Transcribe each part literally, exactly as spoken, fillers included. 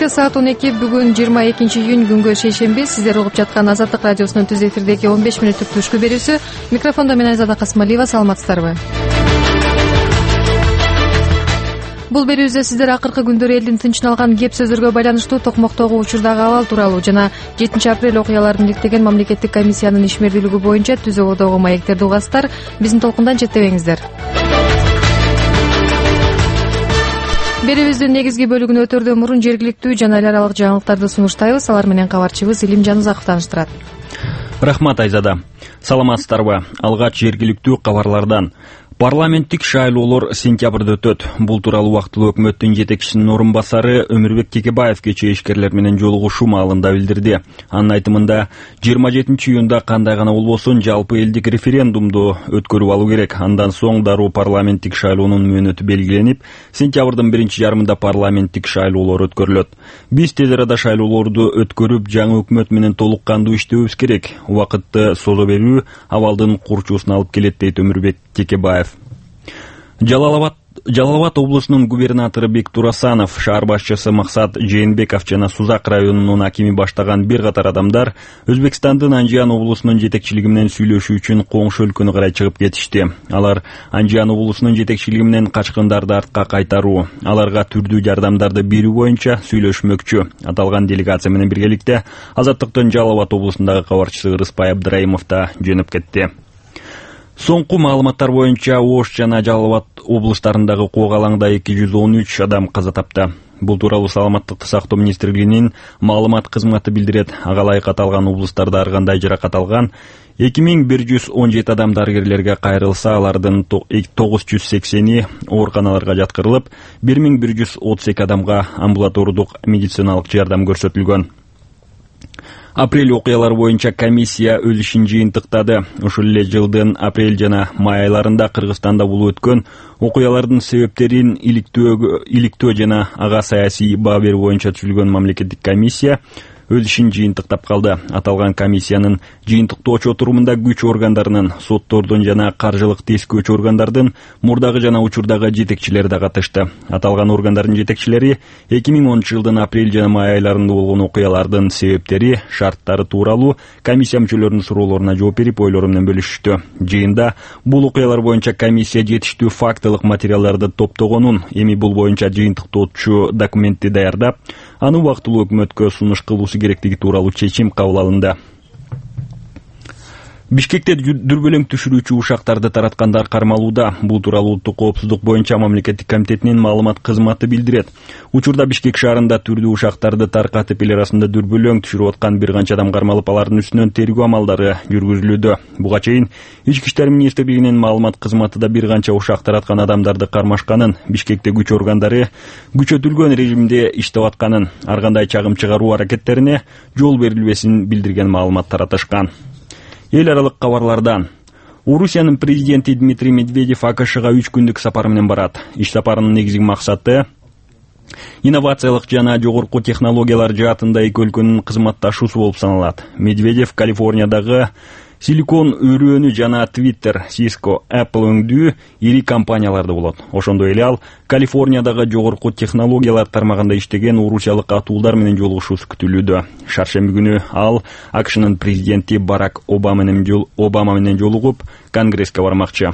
кечки саат он эки бүгүн жыйырма экинчи июнь күнгө шейшемби. Сиздер угуп жаткан Азаттык радиосунун түз эфирдеги он беш мүнөттүк түшкү берүүсү. Микрофондо мен Айзада Касымалиева. Саламатсыздарбы? Бул берүүбүздө сиздер акыркы күндөрү элдин тынчын алган кеп сөздөргө байланыштуу токмоктогу учурдагы абал тууралуу жана жетинчи апрель окуяларын иликтеген мамлекеттик комиссиянын ишмердүүлүгү боюнча түзүүдөгү маектерди угасыздар. Биздин толкундан четтебеңиздер. Берүүбүздүн негизги бөлүгүн өтөрдөн мурун жергиликтүү жана эл аралык жаңылыктарды сунуштайбыз. Алар менен кабарчыбыз Илим Жанузаков тааныштырат. Рахмат, Айзада. Саламатсыздарбы? Алгач жергиликтүү кабарлардан. Парламенттик шайлоолор сентябрда өтөт. Бул тууралуу убактылуу өкмөттүн жетекчисинин орун басары Өмүрбек Текебаев кечээ ишкерлер менен жолугушуу маалында билдирди. Анын айтымында жыйырма жетинчи июнда кандай гана болбосун жалпы элдик референдумду өткөрүп алуу керек. Андан соң дароо парламенттик шайлоонун мөөнөтү белгиленип, сентябрдын биринчи жарымында парламенттик шайлоолор өткөрүлөт. Биз тез арада шайлоолорду өткөрүп, жаңы өкмөт менен толук кандуу иштебибиз керек. Убакытты созо берүү абалдын курчуусуна алып келет, дейт Өмүрбек Текебаев. Жалал абад облусунун губернатору Бектур Асанов, шаар башчысы Максат Жээнбеков жана Сузак районунун акими баштаган бир катар адамдар Өзбекстандын Анжан облусунун жетекчилиги менен сүйлөшүү үчүн коңшу өлкөнү карай чыгып кетишти. Алар Анжан облусунун жетекчилиги менен качкындарды артка кайтаруу, аларга түрдүү жардамдарды берүү боюнча сүйлөшмөкчү. Аталган делегация менен биргеликте Азаттыктын Жалал Абад облусундагы кабарчысы Ырыспай Абдраимов да жөнөп кетти. Соңку маалыматтар боюнча Ош жана Жалал Абад облустарындагы кок алаңда эки жүз он үч адам каза тапты. Бул тууралуу Саламаттыкты сактоо министрлигинин маалымат кызматы билдирет. Ага ылайык аталган облустарда ар кандай жаракат алган эки миң бир жүз он жети адам дарыгерлерге кайрылса, алардын тогуз жүз сексени ооруканаларга жаткырылып, бир миң бир жүз отуз эки адамга амбулатордук медициналык жардам көрсөтүлгөн. Апрель окуялары боюнча комиссия өз ишин жыйынтыктады. Ушул эле жылдын апрель жана май айларында Кыргызстанда болуп өткөн окуялардын себептерин иликтөө жана ага саясий баа берүү боюнча түзүлгөн мамлекеттик комиссия өз ишин жыйынтыктап калды. Аталган комиссиянын жыйынтыктоочу отурумунда күч органдарынын, соттордун жана каржылык тескөөчү органдардын мурдагы жана учурдагы жетекчилери да катышты. Аталган органдардын жетекчилери эки миң онунчу жылдын апрель жана май айларында болгон окуялардын себептери, шарттары тууралуу комиссия мүчөлөрүнүн суроолоруна жооп берип, ойлору менен бөлүшүштү. Жыйында бул окуялар боюнча комиссия жетиштүү фактылык материалдарды топтогонун, эми бул боюнча жыйынтыктоочу документти даярдап, аны убактылуу өкмөткө сунуш кылуусу керектиги тууралуу чечим кабыл алынды. Бишкекте дүрбөлөң түшүрүүчү ушактарды тараткандар кармалууда. Бул тууралуу Улуттук коопсуздук боюнча мамлекеттик комитетинин маалымат кызматы билдирет. Учурда Бишкек шаарында түрдүү ушактарды таркатып, эл арасында дүрбөлөң түшүрүп аткан бир канча адам кармалып, алардын үстүнөн тергөө амалдары жүргүзүлүүдө. Буга чейин Ички иштер министрлигинин маалымат кызматы да бир канча ушак тараткан адамдарды кармашканын, Бишкекте күч органдары күчөтүлгөн режимде иштеп атканын, ар кандай чагым чыгаруу аракеттерине жол берилбесин билдирген маалымат таратышкан. Эл аралык кабарлардан. Орусиянын президенти Дмитрий Медведев АКШга үч күндүк сапар менен барат. Иш сапарынын негизги максаты инновациялык жана жогорку технологиялар жаатында эки өлкөнүн кызматташуусу болуп саналат. Медведев Калифорниядагы Силикон өрөөнү жана Twitter, Cisco, Apple өңдүү ири компанияларда болот. Ошондой эле ал Калифорниядагы жогорку технологиялар тармагында иштеген орусиялык атуулдар менен жолугушуусу күтүлүүдө. Шаршемби күнү ал АКШнын президенти Барак Обама менен жолугуп, Конгресске бармакчы.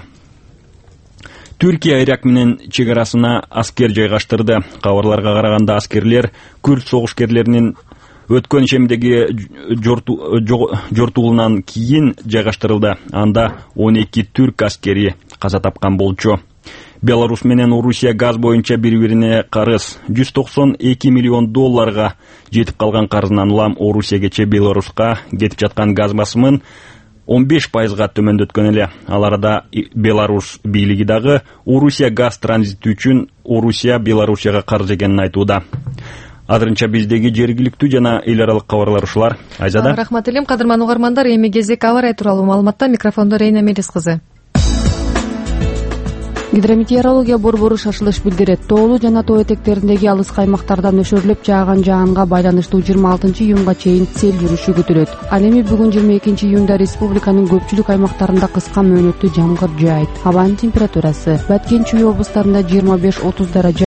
Түркия Ирак менен чегарасына аскер жайгаштырды. Кабарларга караганда аскерлер күрд согушкерлеринин өткөн ишемдеги жортуулунан кийин жайгаштырылды. Анда он эки түрк аскери каза тапкан болчу. Беларусь менен Орусия газ боюнча бири-бирине карыз. жүз токсон эки миллион долларга жетип калган карызынан улам Орусиягече Беларуска кетип жаткан газ басымын он беш пайызга төмөндөткөн эле. Ал арада Беларусь бийлиги дагы Орусия газ транзити үчүн Орусия Беларусияга карыз экенин айтууда. Азырынча биздеги жергиликтүү жана эл аралык кабарлар ушулар. Айзада. Рахмат элем, кадырман угармандар. Эми кезек аба ырайы тууралуу маалыматта. Микрофондо Рейна Мелис кызы. Гидрометеорология борбору шашылыш билдирет. Тоолуу жана тоо этектериндеги алыс аймактарда нөшөрлөп жааган жаанга байланыштуу жыйырма алтынчы июнга чейин сел жүрүшү күтүлөт. Ал эми бүгүн жыйырма экинчи июнда республиканын көпчүлүк аймактарында кыска мөөнөттүү жамгыр жаайт. Абанын температурасы Баткен Чүй облустарында жыйырма беш отуз даража,